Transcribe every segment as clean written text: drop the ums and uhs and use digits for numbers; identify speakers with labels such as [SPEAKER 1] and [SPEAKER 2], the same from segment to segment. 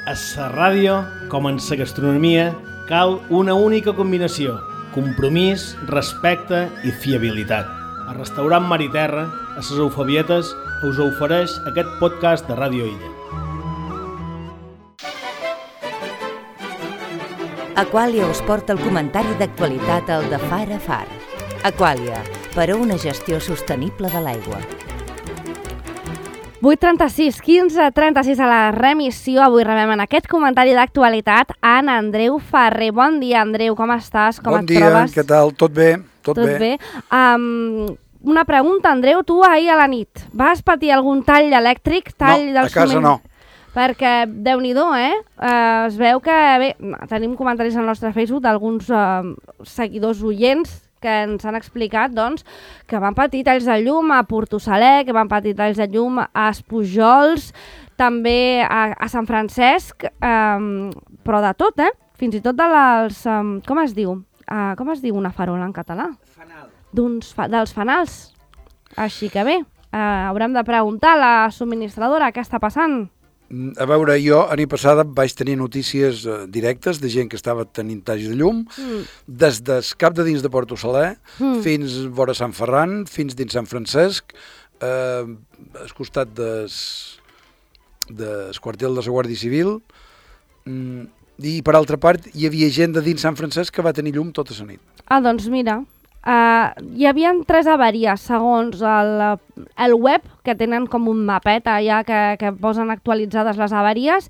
[SPEAKER 1] A la ràdio, com en la gastronomia, cal una única combinació: compromís, respecte i fiabilitat. A Restaurant Mar i Terra, a les Eufabietes, us ofereix aquest podcast de Ràdio Illa.
[SPEAKER 2] Aquàlia us porta el comentari d'actualitat al de Far a Far. Aquàlia, per a una gestió sostenible de l'aigua.
[SPEAKER 3] 8:36, 15:36 a la remissió. Avui rebem en aquest comentari d'actualitat a en Andreu Ferrer. Bon dia, Andreu, com estàs? Com et trobes?
[SPEAKER 4] Bon dia, què tal? Tot bé? Tot bé.
[SPEAKER 3] Una pregunta, Andreu, tu ahir a la nit vas patir algun tall elèctric?
[SPEAKER 4] No, a casa no.
[SPEAKER 3] Perquè, Déu-n'hi-do, es veu que, bé, tenim comentaris al nostre Facebook d'alguns seguidors oients que ens han explicat, doncs, que van patir talls de llum a Portosaler, que van patir talls de llum a Espujols, també a Sant Francesc, però de tot, fins i tot de les... com es diu? Com es diu una farola en català?
[SPEAKER 1] Fanal.
[SPEAKER 3] Dels fanals. Així que bé, haurem de preguntar a la subministradora què està passant.
[SPEAKER 4] A veure, jo a nit passada vaig tenir notícies directes de gent que estava tenint talls de llum, des del cap de dins de Portosaler fins vora Sant Ferran, fins dins Sant Francesc, al costat del quartel de la Guàrdia Civil, i per altra part hi havia gent de dins Sant Francesc que va tenir llum tota la nit.
[SPEAKER 3] Doncs mira, hi havia 3 avaries segons el web, que tenen com un mapet allà que posen actualitzades les avaries.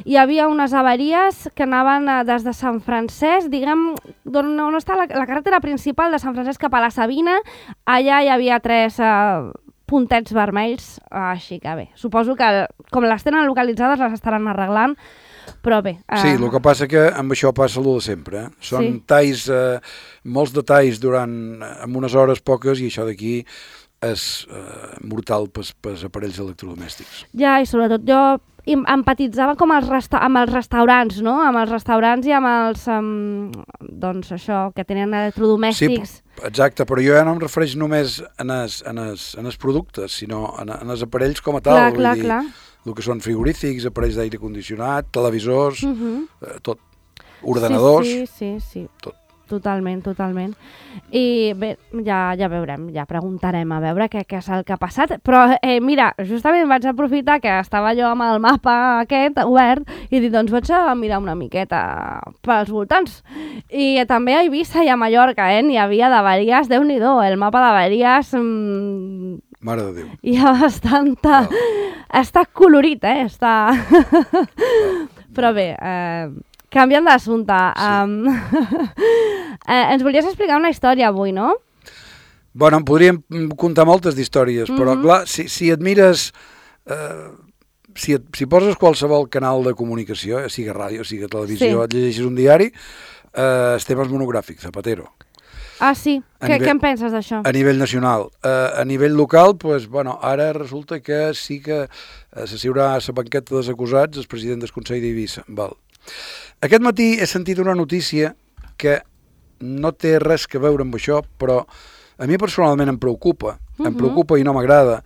[SPEAKER 3] Hi havia unes avaries que anaven des de Sant Francesc, diguem, on està la carretera principal de Sant Francesc cap a la Sabina. Allà hi havia 3 puntets vermells, així que bé, suposo que com les tenen localitzades les estaran arreglant. Però bé...
[SPEAKER 4] Sí, el que passa que amb això passa el de sempre. Són talls, molts detalls amb unes hores poques, i això d'aquí és mortal pels aparells electrodomèstics.
[SPEAKER 3] Ja, i sobretot jo empatitzava com amb els restaurants, no? Amb els restaurants i amb els... doncs això, que tenen electrodomèstics.
[SPEAKER 4] Sí, exacte, però jo ja no em refereix només en els productes, sinó en els aparells com a tal.
[SPEAKER 3] Clar.
[SPEAKER 4] El que són frigorífics, aparells d'aire condicionat, televisors, tot, ordenadors,
[SPEAKER 3] sí.
[SPEAKER 4] Tot.
[SPEAKER 3] Totalment. I bé, ja veurem, ja preguntarem a veure què és el que ha passat. Però mira, justament vaig aprofitar que estava jo amb el mapa aquest obert i dic, doncs vaig a mirar una miqueta pels voltants. I també a Eivissa i a Mallorca, n'hi havia d'avaries, Déu-n'hi-do, el mapa d'avaries...
[SPEAKER 4] Mare de Déu.
[SPEAKER 3] Hi ha bastanta... Està colorit, està... Però bé, canviant d'assumpte. Ens volies explicar una història avui, no?
[SPEAKER 4] Bueno, en podríem contar moltes d'històries, però clar, si et mires... Si poses qualsevol canal de comunicació, sigui ràdio, sigui televisió, et llegeixes un diari, temes monogràfics, Zapatero.
[SPEAKER 3] Ah, sí? Què en penses d'això?
[SPEAKER 4] A nivell nacional. A nivell local, ara resulta que sí que s'assiurà a la banqueta dels acusats el president del Consell d'Eivissa. Aquest matí he sentit una notícia que no té res a veure amb això, però a mi personalment em preocupa i no m'agrada,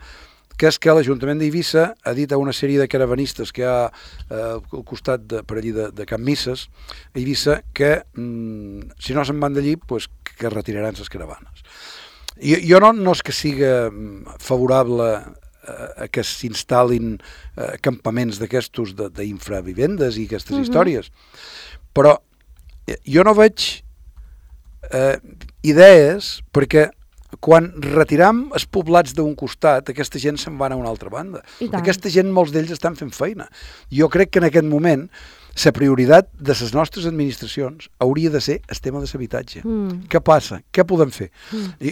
[SPEAKER 4] que és que l'Ajuntament d'Eivissa ha dit a una sèrie de caravanistes que hi ha al costat per allí de Can Misses, a Eivissa, que si no se'n van d'allí, que retiraran les caravanes. Jo no és que siga favorable a que s'instal·lin campaments d'aquestos d'infravivendes i aquestes històries, però jo no veig idees, perquè quan retiram els poblats d'un costat, aquesta gent se'n va a una altra banda. Aquesta gent, molts d'ells estan fent feina. Jo crec que en aquest moment la prioritat de les nostres administracions hauria de ser el tema de l'habitatge. Què passa? Què podem fer?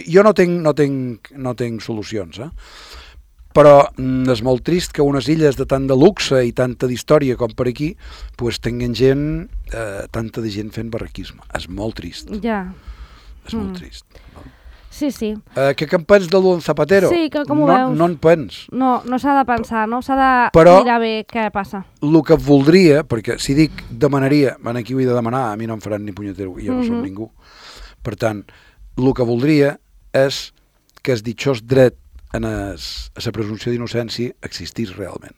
[SPEAKER 4] Jo no tinc solucions, però és molt trist que unes illes de tant de luxe i tanta d'història com per aquí tinguin tanta de gent fent barraquisme. És molt trist.
[SPEAKER 3] Ja.
[SPEAKER 4] És molt trist.
[SPEAKER 3] Sí.
[SPEAKER 4] Què en pens de l'On Zapatero?
[SPEAKER 3] Sí, com ho veus?
[SPEAKER 4] No en pens.
[SPEAKER 3] No s'ha de pensar, no? S'ha de mirar bé què passa.
[SPEAKER 4] El que voldria, perquè si dic demanaria, aquí ho he de demanar, a mi no em faran ni punyetero, jo no som ningú. Per tant, el que voldria és que el ditxós dret a la presumpció d'innocència existís realment.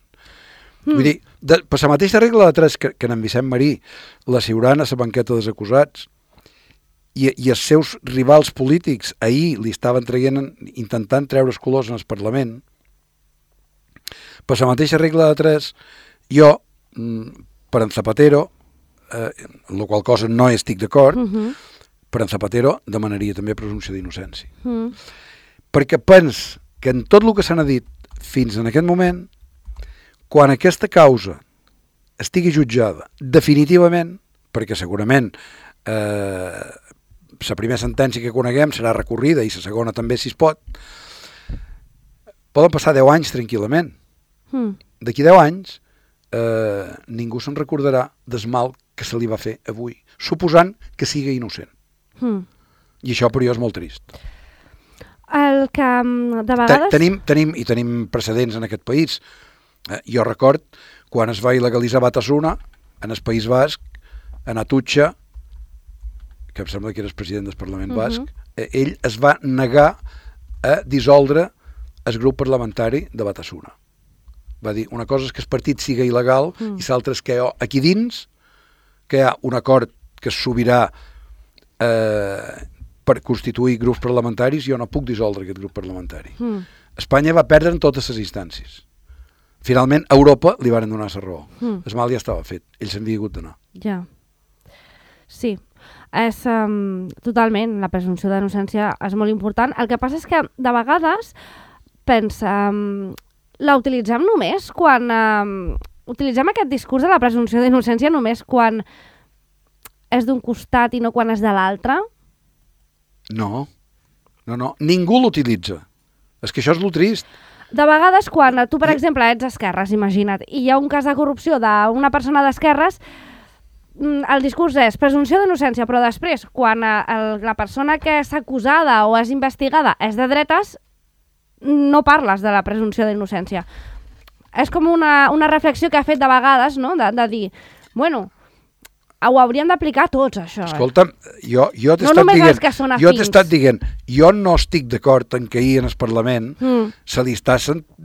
[SPEAKER 4] Vull dir, Per la mateixa regla de 3 que en Vicent Marí la ciuran a la banqueta dels acusats i els seus rivals polítics ahir li estaven intentant treure els colors en el Parlament, per la mateixa regla de 3 jo, per en Zapatero, en la qual cosa no estic d'acord, per en Zapatero demanaria també presumpció d'innocència. Perquè pens que en tot el que s'ha dit fins en aquest moment, quan aquesta causa estigui jutjada definitivament, perquè segurament la primera sentència que coneguem serà recorrida i la segona també si es pot, poden passar 10 anys tranquil·lament. D'aquí 10 anys ningú se'n recordarà del mal que se li va fer avui, suposant que sigui innocent. I això per jo és molt trist.
[SPEAKER 3] El que de vegades...
[SPEAKER 4] Tenim precedents en aquest país. Jo record quan es va il·legalitzar Batasuna en el País Basc, en Atutxa, que em sembla que era el president del Parlament Basc, ell es va negar a dissoldre el grup parlamentari de Batasuna. Va dir, una cosa és que el partit siga il·legal i l'altra és que aquí dins que hi ha un acord que és sobirà per constituir grups parlamentaris, jo no puc dissoldre aquest grup parlamentari. Espanya va perdre en totes les instàncies. Finalment, a Europa li van donar la raó. El mal ja estava fet. Ells s'han hagut d'anar.
[SPEAKER 3] Ja. Sí. És totalment, la presumpció d'innocència és molt important. El que passa és que de vegades pensa, la utilitzem només quan... utilitzem aquest discurs de la presumpció d'innocència només quan és d'un costat i no quan és de l'altre?
[SPEAKER 4] No. Ningú l'utilitza. És que això és lo trist.
[SPEAKER 3] De vegades, quan tu, per exemple, ets esquerres, imagina't, i hi ha un cas de corrupció d'una persona d'esquerres, el discurs és presumpció d'innocència, però després, quan la persona que és acusada o és investigada és de dretes, no parles de la presumpció d'innocència. És com una reflexió que ha fet de vegades, no?, de dir, bueno, ho hauríem d'aplicar tots, això.
[SPEAKER 4] Escolta'm, jo t'he
[SPEAKER 3] no només els que són afins.
[SPEAKER 4] Jo t'he estat dient, jo no estic d'acord en que ahir en el Parlament se li està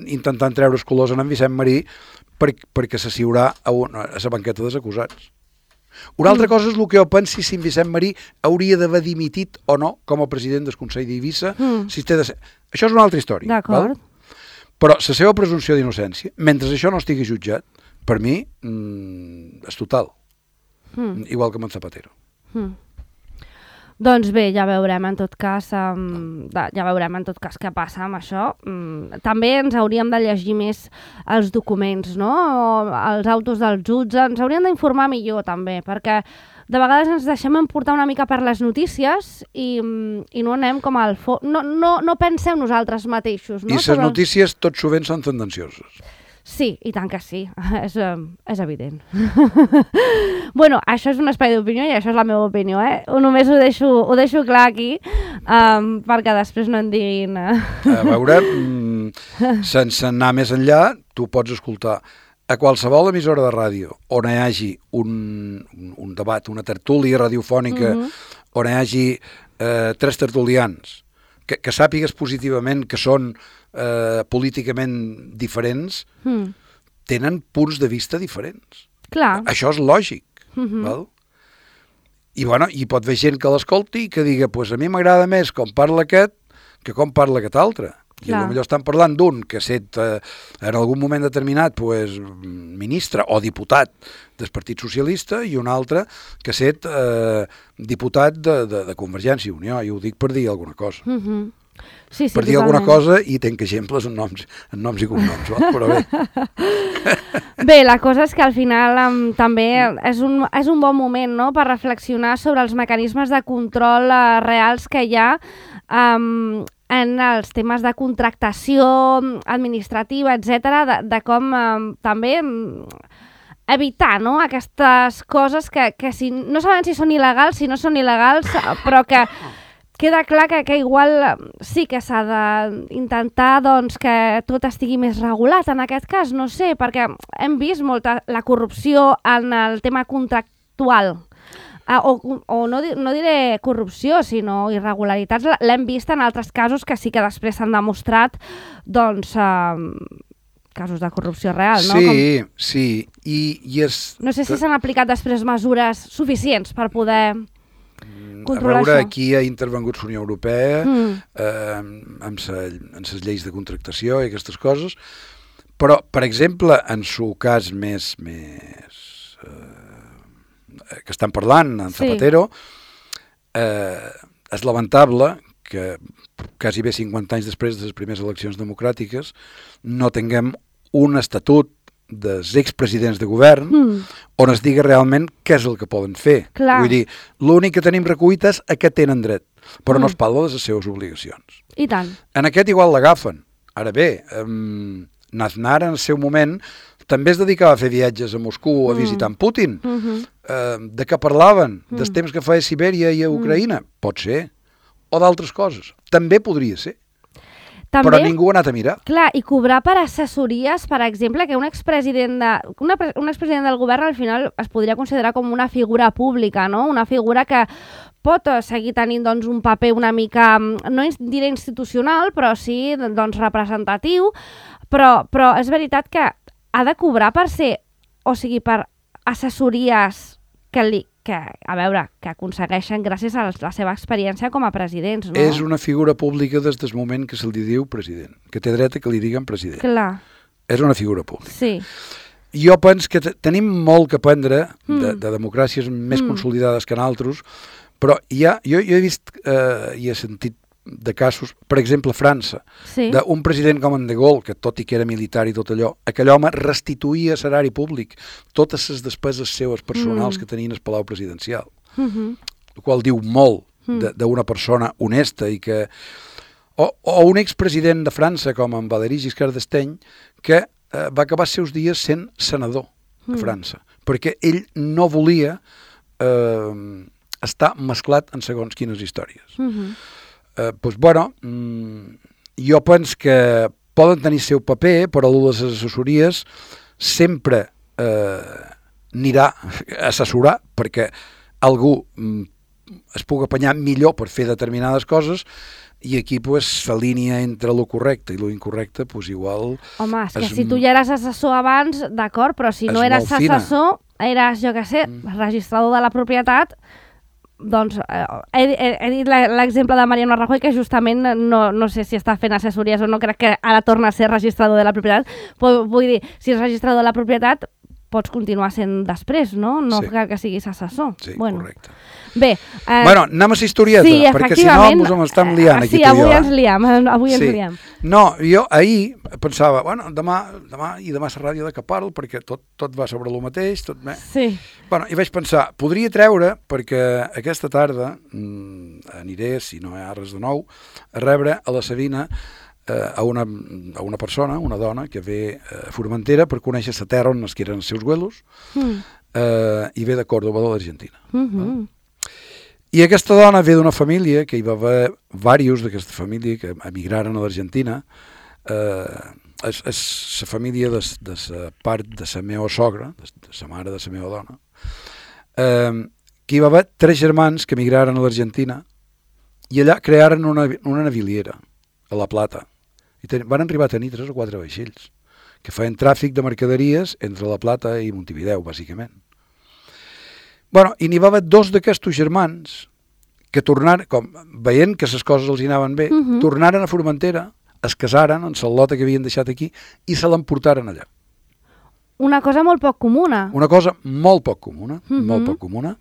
[SPEAKER 4] intentant treure els colors en Vicent Marí perquè s'assiurà a la banqueta dels acusats. Una altra cosa és el que jo pensi si en Vicent Marí hauria d'haver dimitit o no com a president del Consell d'Eivissa. Això és una altra història.
[SPEAKER 3] D'acord.
[SPEAKER 4] Però la seva presumpció d'innocència, mentre això no estigui jutjat, per mi és total. Igual que amb en Zapatero.
[SPEAKER 3] Doncs bé, ja veurem en tot cas què passa amb això. També ens hauríem de llegir més els documents, no? Els autos del jutge, ens hauríem d'informar millor també, perquè de vegades ens deixem emportar una mica per les notícies i no anem com al fons, no pensem nosaltres mateixos. No?
[SPEAKER 4] I les notícies tot sovint són tendencioses.
[SPEAKER 3] Sí, i tant que sí, és evident. Bueno, això és un espai d'opinió i això és la meva opinió, eh? Només ho deixo clar aquí, perquè després no en diguin...
[SPEAKER 4] A veure, sense anar més enllà, tu pots escoltar a qualsevol emissora de ràdio on hi hagi un debat, una tertúlia radiofònica, on hi hagi 3 tertulians, que sàpigues positivament que són políticament diferents, tenen punts de vista diferents.
[SPEAKER 3] Clar.
[SPEAKER 4] Això és lògic. Val? I pot haver gent que l'escolti i que diga, pues a mi m'agrada més com parla aquest que com parla aquest altre. I potser estan parlant d'un que ha estat en algun moment determinat ministre o diputat del Partit Socialista i un altre que ha estat diputat de Convergència i Unió. I ho dic per dir alguna cosa.
[SPEAKER 3] Sí,
[SPEAKER 4] per dir alguna cosa i tenc exemples en noms i cognoms, però bé.
[SPEAKER 3] Bé, la cosa és que al final també és un bon moment, no?, per reflexionar sobre els mecanismes de control reals que hi ha en els temes de contractació administrativa, etc., de com també evitar, no?, aquestes coses que no sabem si són il·legals, si no són il·legals, però que queda clar que igual sí que s'ha d'intentar doncs, que tot estigui més regulat en aquest cas, no sé, perquè hem vist molta la corrupció en el tema contractual. O no diré corrupció, sinó irregularitats, l'hem vist en altres casos que sí que després s'han demostrat doncs, casos de corrupció real, no?
[SPEAKER 4] Sí. I és...
[SPEAKER 3] No sé si s'han aplicat després mesures suficients per poder controlar
[SPEAKER 4] això.
[SPEAKER 3] Aquí
[SPEAKER 4] ha intervengut la Unió Europea amb les lleis de contractació i aquestes coses, però, per exemple, en el cas més que estan parlant, en Zapatero, és lamentable que quasi bé 50 anys després de les primeres eleccions democràtiques no tinguem un estatut dels expresidents de govern on es digui realment què és el que poden fer.
[SPEAKER 3] Clar.
[SPEAKER 4] Vull dir, l'únic que tenim recollit és a què tenen dret, però no es parla de les seves obligacions.
[SPEAKER 3] I tant.
[SPEAKER 4] En aquest igual l'agafen. Ara bé, Aznar en el seu moment també es dedicava a fer viatges a Moscou a visitar en Putin. De què parlaven? Dels temps que feia a Sibèria i a Ucraïna? Pot ser. O d'altres coses. També podria ser.
[SPEAKER 3] També,
[SPEAKER 4] però ningú ha anat a mirar.
[SPEAKER 3] Clar, i cobrar per assessories, per exemple, que un expresident del govern al final es podria considerar com una figura pública, no? Una figura que pot seguir tenint doncs, un paper una mica, no diré institucional, però sí doncs, representatiu, però és veritat que ha de cobrar per ser, o sigui, per assessories que aconsegueixen gràcies a la seva experiència com a presidents, no?
[SPEAKER 4] És una figura pública des del moment que se'l diu president, que té dret a que li diguen president.
[SPEAKER 3] Clar.
[SPEAKER 4] És una figura pública.
[SPEAKER 3] Sí.
[SPEAKER 4] Jo penso que tenim molt que aprendre de democràcies més consolidades que en altres, però jo he vist i he sentit de casos, per exemple, França, d'un president com en De Gaulle, que tot i que era militar i tot allò, aquell home restituïa a l'erari públic totes les despeses seues personals que tenien al Palau Presidencial, el qual diu molt d'una persona honesta i que... O un expresident de França, com en Valéry Giscard d'Estaing, que va acabar els seus dies sent senador a França, perquè ell no volia estar mesclat en segons quines històries. Doncs, bueno, jo penso que poden tenir el seu paper, però les assessories sempre anirà a assessorar perquè algú es pugui apanyar millor per fer determinades coses i aquí la línia entre lo correcte i lo incorrecte, doncs igual...
[SPEAKER 3] Home, és que si tu ja eres assessor abans, d'acord, però si no eres assessor, eres, jo què sé, registrador de la propietat, doncs he dit l'exemple de Mariano Rajoy, que justament no sé si està fent assessories o no, crec que ara torna a ser registrador de la propietat, però vull dir, si és registrador de la propietat pots continuar sent després, no? No cal que siguis assessor.
[SPEAKER 4] Sí, correcte.
[SPEAKER 3] Bé,
[SPEAKER 4] anem a la historieta, perquè si no ens estem liant aquí.
[SPEAKER 3] Sí, avui ens liem.
[SPEAKER 4] No, jo ahir pensava, bueno, demà la ràdio de què parlo, perquè tot va sobre el mateix, tot bé.
[SPEAKER 3] Sí.
[SPEAKER 4] Bueno, i vaig pensar, podria treure, perquè aquesta tarda aniré, si no hi ha res de nou, a rebre a la Sabina a una persona, una dona, que ve a Formentera per conèixer la terra on eren els seus güelos, i ve de Córdoba, de l'Argentina. I aquesta dona ve d'una família, que hi va haver diversos d'aquesta família que emigraren a l'Argentina. És la família de la part de la meva sogra, de la mare de la meva dona, que hi va haver 3 germans que emigraren a l'Argentina i allà crearen una naviliera a La Plata. I van arribar a tenir 3 o 4 vaixells que feien tràfic de mercaderies entre La Plata i Montevideo, bàsicament. Bueno, i n'hi va haver 2 d'aquests germans que tornaren, veient que les coses els anaven bé, tornaren a Formentera, es casaren en la lota que havien deixat aquí i se l'emportaren allà.
[SPEAKER 3] Una cosa molt poc comuna.
[SPEAKER 4] Una cosa molt poc comuna, molt poc comuna.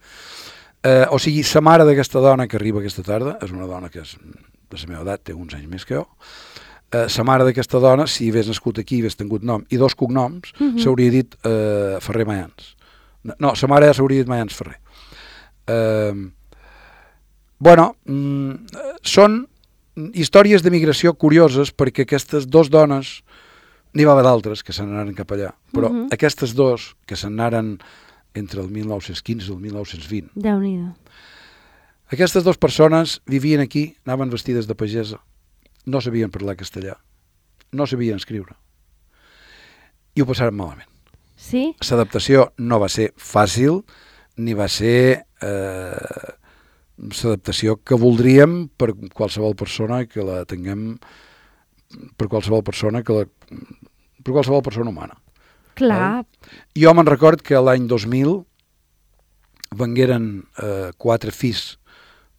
[SPEAKER 4] O sigui, la mare d'aquesta dona que arriba aquesta tarda, és una dona que és de la meva edat, té uns anys més que jo, la mare d'aquesta dona, si hagués nascut aquí, hagués tingut nom i 2 cognoms, s'hauria dit Ferrer Mayans. No, la mare ja s'hauria dit Mayans Ferrer. Bueno, són històries d'emigració curioses perquè aquestes 2 dones, n'hi va haver d'altres que se n'anaren cap allà, però aquestes 2 que se n'anaren entre el 1915 i el 1920.
[SPEAKER 3] Déu-n'hi-do.
[SPEAKER 4] Aquestes 2 persones vivien aquí, anaven vestides de pagesa, no sabien parlar castellà, no sabien escriure i ho passaren malament.
[SPEAKER 3] Sí?
[SPEAKER 4] L'adaptació no va ser fàcil ni va ser l'adaptació que voldríem per qualsevol persona que la tinguem, per qualsevol persona que per qualsevol persona humana.
[SPEAKER 3] Clar.
[SPEAKER 4] Jo me'n record que l'any 2000 vengueren 4 fills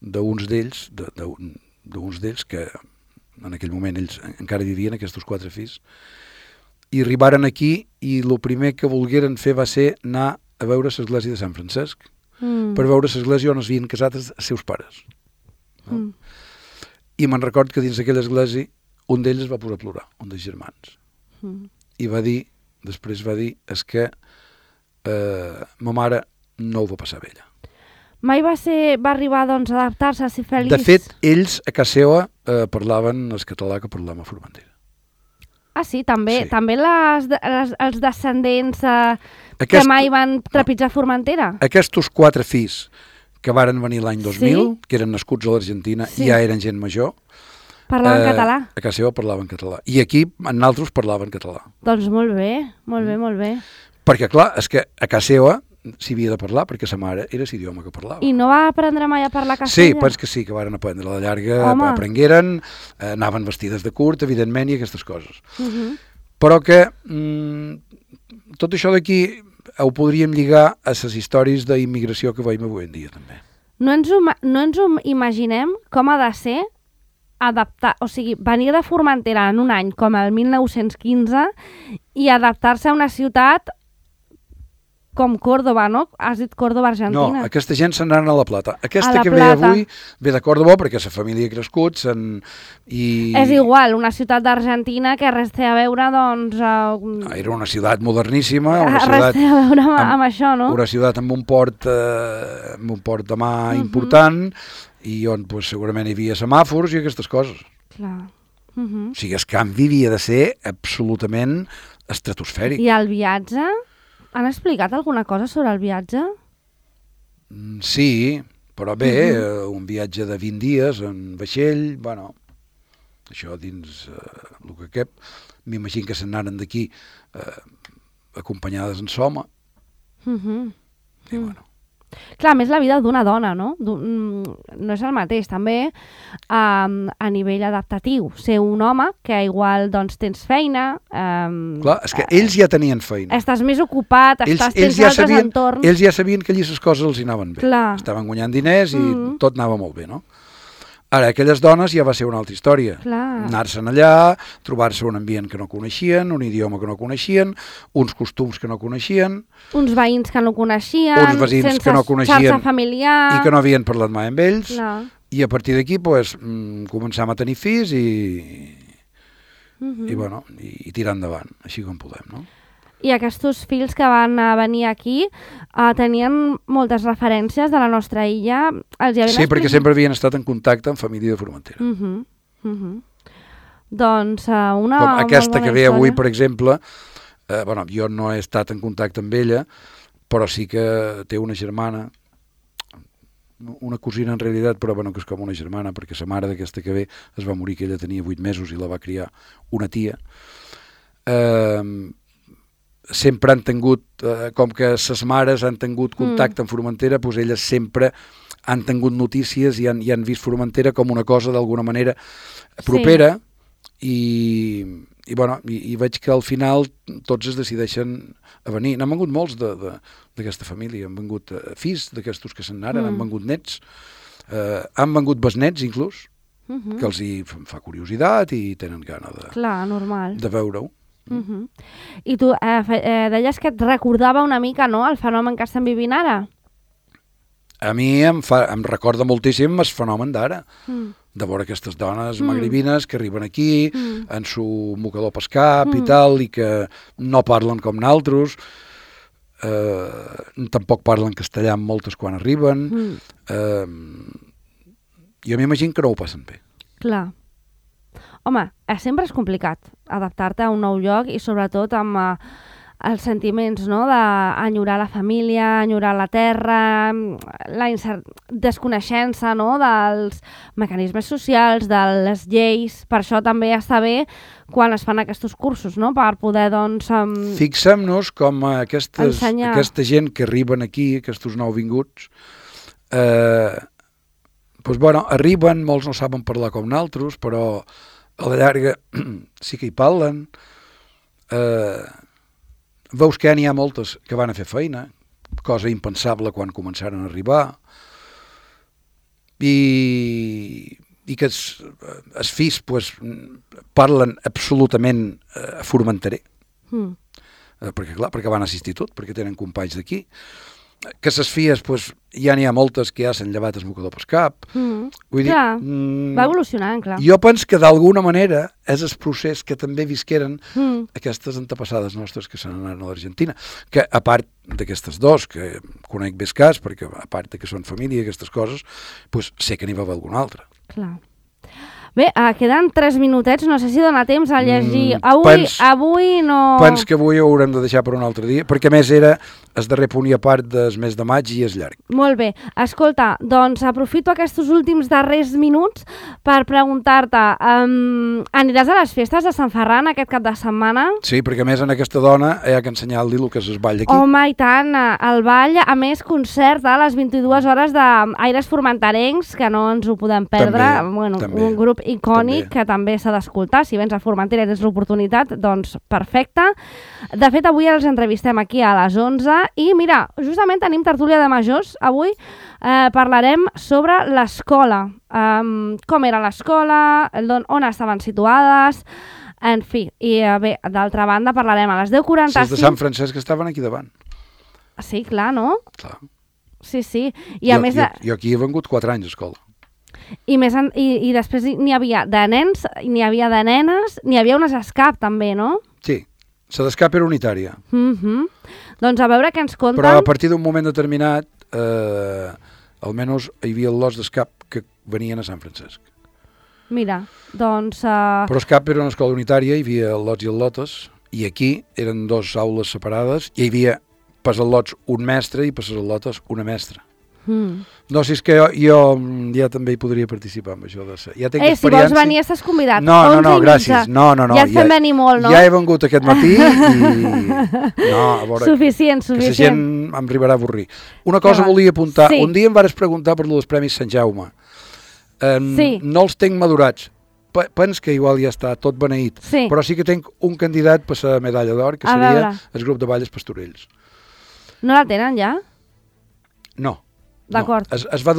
[SPEAKER 4] d'uns d'ells, d'uns d'ells que en aquell moment ells encara vivien, aquests 4 fills, i arribaren aquí i el primer que volgueren fer va ser anar a veure l'església de Sant Francesc, per veure l'església on es havien casat els seus pares. No? I me'n record que dins d'aquella església un d'ells es va posar a plorar, un dels germans. I va dir, després va dir, és que ma mare no ho va passar bé ella.
[SPEAKER 3] Mai va arribar doncs, a adaptar-se, a ser feliç?
[SPEAKER 4] De fet, ells a casa seva parlaven el català que parlàvem a Formentera.
[SPEAKER 3] Ah, sí? També,
[SPEAKER 4] Sí.
[SPEAKER 3] també els descendents que mai van trepitjar Formentera?
[SPEAKER 4] Aquests 4 fills que varen venir l'any 2000,
[SPEAKER 3] Sí.
[SPEAKER 4] que eren nascuts a l'Argentina
[SPEAKER 3] Sí.
[SPEAKER 4] i ja eren gent major,
[SPEAKER 3] Parlaven català?
[SPEAKER 4] a casa seva parlaven català. I aquí, en altres, parlaven català.
[SPEAKER 3] Doncs molt bé, molt bé, molt bé.
[SPEAKER 4] Perquè, clar, és que a casa seva s'hi havia de parlar, perquè sa mare era l'idioma que parlava.
[SPEAKER 3] I no va aprendre mai a parlar
[SPEAKER 4] Sí,
[SPEAKER 3] castellà?
[SPEAKER 4] penso que sí, que varen aprendre a la llarga,
[SPEAKER 3] Home.
[SPEAKER 4] aprengueren, anaven vestides de curt, evidentment, i aquestes coses.
[SPEAKER 3] Uh-huh.
[SPEAKER 4] Però que tot això d'aquí ho podríem lligar a les històries d'immigració que veiem avui en dia, també.
[SPEAKER 3] No ens ho imaginem com ha de ser adaptar, o sigui, venir de Formentera en un any com el 1915 i adaptar-se a una ciutat com Córdoba, no? Has dit Córdoba, Argentina.
[SPEAKER 4] No, aquesta gent se'n anaren a La Plata. Aquesta
[SPEAKER 3] A La
[SPEAKER 4] que
[SPEAKER 3] Plata.
[SPEAKER 4] ve avui ve de Córdoba perquè la família ha crescut i...
[SPEAKER 3] És igual, una ciutat d'Argentina que res té a veure, doncs...
[SPEAKER 4] Era una ciutat moderníssima, una
[SPEAKER 3] res
[SPEAKER 4] ciutat,
[SPEAKER 3] té a veure amb això, no?
[SPEAKER 4] una ciutat amb un port de mà important i on pues, segurament hi havia semàfors i aquestes coses.
[SPEAKER 3] Clar.
[SPEAKER 4] O sigui, el canvi havia de ser absolutament estratosfèric.
[SPEAKER 3] I el viatge? Han explicat alguna cosa sobre el viatge?
[SPEAKER 4] Sí, però bé, un viatge de 20 dies en vaixell, bueno, això dins el que cap, m'imagino que se n'anaren d'aquí acompanyades en soma, i bueno.
[SPEAKER 3] Clar, a més la vida d'una dona, no? No és el mateix, també a nivell adaptatiu. Ser un home que igual doncs, tens feina...
[SPEAKER 4] Clar, és que ells ja tenien feina.
[SPEAKER 3] Estàs més ocupat, tens altres entorns...
[SPEAKER 4] Ells ja sabien que allí les coses els hi anaven bé.
[SPEAKER 3] Clar.
[SPEAKER 4] Estaven guanyant diners i tot anava molt bé, no? Ara, aquelles dones ja va ser una altra història.
[SPEAKER 3] Clar.
[SPEAKER 4] Anar-se'n allà, trobar-se un ambient que no coneixien, un idioma que no coneixien, uns costums que no coneixien...
[SPEAKER 3] Uns veïns que no coneixien,
[SPEAKER 4] uns veïns que no coneixien
[SPEAKER 3] xarxa familiar...
[SPEAKER 4] i que no havien parlat mai amb ells.
[SPEAKER 3] Clar.
[SPEAKER 4] I a partir d'aquí pues, començam a tenir fills i tirar endavant, així com podem, no?
[SPEAKER 3] I aquests fills que van venir aquí tenien moltes referències de la nostra illa.
[SPEAKER 4] Sí, perquè sempre havien estat en contacte amb família de Formentera.
[SPEAKER 3] Doncs una...
[SPEAKER 4] Com aquesta que ve
[SPEAKER 3] història.
[SPEAKER 4] avui, per exemple, jo no he estat en contacte amb ella, però sí que té una germana, una cosina en realitat, però que és com una germana, perquè sa mare d'aquesta que ve es va morir, que ella tenia 8 mesos i la va criar una tia. Sempre han tingut, com que ses mares han tingut contacte amb Formentera, doncs elles sempre han tingut notícies i han vist Formentera com una cosa d'alguna manera propera, i veig que al final tots es decideixen a venir. N'han vengut molts d'aquesta família, han vengut fills d'aquestos que se'n anaren, han vengut nets, han vengut besnets inclús, que els hi fa curiositat i tenen gana de veure-ho.
[SPEAKER 3] I tu deies que et recordava una mica, no?, el fenomen que estem vivint ara?
[SPEAKER 4] A mi em recorda moltíssim el fenomen d'ara, de veure aquestes dones magribines que arriben aquí en su mocador pel cap i tal, i que no parlen com naltros, tampoc parlen castellà amb moltes quan arriben. Jo m'imagino que no ho passen bé.
[SPEAKER 3] Clar. Home, sempre és complicat adaptar-te a un nou lloc i sobretot amb els sentiments, no?, d'enyorar la família, enyorar la terra, la desconeixença, no?, dels mecanismes socials, de les lleis. Per això també està bé quan es fan aquests cursos, no?, per poder, doncs...
[SPEAKER 4] Fixem-nos com aquesta gent que arriben aquí, aquests nouvinguts, arriben, molts no saben parlar com naltros, però a la llarga sí que hi parlen, veus que n'hi ha moltes que van a fer feina, cosa impensable quan començaren a arribar, i que els fills pues, parlen absolutament formentaré, perquè van a l'institut, perquè tenen companys d'aquí, que les filles pues, ja n'hi ha moltes que ja s'han llevat el mocador pel cap. Vull dir,
[SPEAKER 3] va evolucionant, clar.
[SPEAKER 4] Jo penso que d'alguna manera és el procés que també visqueren aquestes antepassades nostres que s'han anat a l'Argentina, que a part d'aquestes dos, que conec bé el cas, perquè a part que són família i aquestes coses, pues, sé que n'hi va haver alguna altra.
[SPEAKER 3] Clar. Bé, queden 3 minutets, no sé si dona temps a llegir. Avui no...
[SPEAKER 4] Pens que avui ho haurem de deixar per un altre dia, perquè a més era el darrer punt i a part del mes de maig i és llarg.
[SPEAKER 3] Molt bé. Escolta, doncs aprofito aquests últims darrers minuts per preguntar-te, aniràs a les festes de Sant Ferran aquest cap de setmana?
[SPEAKER 4] Sí, perquè a més en aquesta dona hi ha que ensenyar-li el que és el ball d'aquí.
[SPEAKER 3] Home, i tant, el ball, a més concert a les 22 hores d'Aires Formenterencs, que no ens ho podem perdre.
[SPEAKER 4] També.
[SPEAKER 3] Un grup icònic que també s'ha d'escoltar. Si vens a Formentera i tens l'oportunitat, doncs perfecte. De fet, avui els entrevistem aquí a les 11 i mira, justament tenim tertúlia de majors. Avui parlarem sobre l'escola. Com era l'escola, on estaven situades, en fi. I bé, d'altra banda parlarem a les 10:45.
[SPEAKER 4] Els de Sant Francesc estaven aquí davant.
[SPEAKER 3] Sí, clar, no?
[SPEAKER 4] Clar.
[SPEAKER 3] Sí, sí. I a més
[SPEAKER 4] jo aquí he vengut 4 anys a escola.
[SPEAKER 3] I després n'hi havia de nens, n'hi havia de nenes, n'hi havia unes escap també, no?
[SPEAKER 4] Sí, la d'escap era unitària.
[SPEAKER 3] Doncs a veure què ens conten.
[SPEAKER 4] Però a partir d'un moment determinat, almenys hi havia lots d'escap que venien a Sant Francesc.
[SPEAKER 3] Mira, doncs...
[SPEAKER 4] Però escap era una escola unitària, hi havia el lots i el lotes, i aquí eren 2 aules separades, i hi havia per als lots un mestre i per als lotes una mestra. No, si és que jo ja també hi podria participar amb això de ser. Ja tinc experiència. Si
[SPEAKER 3] vols venir estàs convidat.
[SPEAKER 4] No, gràcies. No.
[SPEAKER 3] Ja et fem venir molt, no?
[SPEAKER 4] Ja he vengut aquest matí i... No, a veure...
[SPEAKER 3] Suficient.
[SPEAKER 4] Que la gent em arribarà a avorrir. Una cosa volia apuntar. Sí. Un dia em vares preguntar per els Premis Sant Jaume. No els tenc madurats. Pens que igual ja està tot beneït. Sí. Però sí que tenc un candidat per la medalla d'or, que seria el grup de Valles Pastorells.
[SPEAKER 3] No la tenen ja?
[SPEAKER 4] No.
[SPEAKER 3] D'acord.
[SPEAKER 4] No. Es va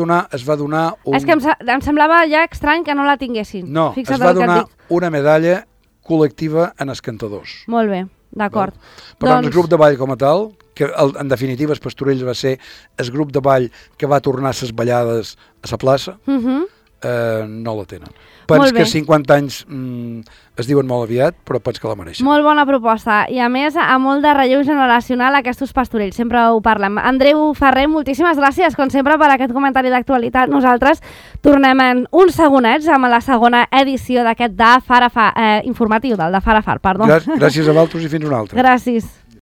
[SPEAKER 4] donar un...
[SPEAKER 3] És que em semblava ja estrany que no la tinguessin.
[SPEAKER 4] No, es va donar una medalla col·lectiva en els cantadors.
[SPEAKER 3] Molt bé, d'acord.
[SPEAKER 4] Però el grup de ball com a tal, que en definitiva els Pastorells va ser el grup de ball que va tornar les ballades a la plaça, no la tenen. Pens que 50 anys es diuen molt aviat, però pens que la mereixen.
[SPEAKER 3] Molt bona proposta. I a més, a molt de relleu generacional aquests Pastorells. Sempre ho parlem. Andreu Ferrer, moltíssimes gràcies, com sempre, per aquest comentari d'actualitat. Nosaltres tornem en uns segonets amb la segona edició d'aquest informatiu del de Far a Far. Perdó.
[SPEAKER 4] Gràcies a vosaltres i fins una altra.
[SPEAKER 3] Gràcies.